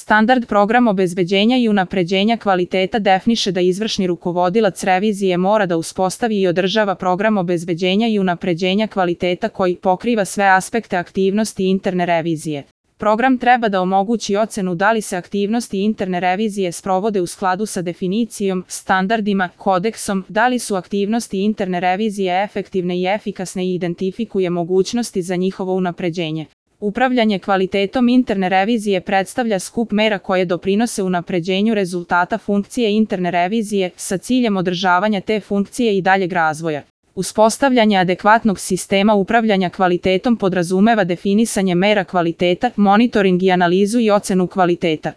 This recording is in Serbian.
Standard program obezbeđenja i unapređenja kvaliteta definiše da izvršni rukovodilac revizije mora da uspostavi i održava program obezbeđenja i unapređenja kvaliteta koji pokriva sve aspekte aktivnosti interne revizije. Program treba da omogući ocenu da li se aktivnosti interne revizije sprovode u skladu sa definicijom, standardima, kodeksom, da li su aktivnosti interne revizije efektivne i efikasne i identifikuje mogućnosti za njihovo unapređenje. Upravljanje kvalitetom interne revizije predstavlja skup mera koje doprinose unapređenju rezultata funkcije interne revizije sa ciljem održavanja te funkcije i daljeg razvoja. Uspostavljanje adekvatnog sistema upravljanja kvalitetom podrazumeva definisanje mera kvaliteta, monitoring i analizu i ocenu kvaliteta.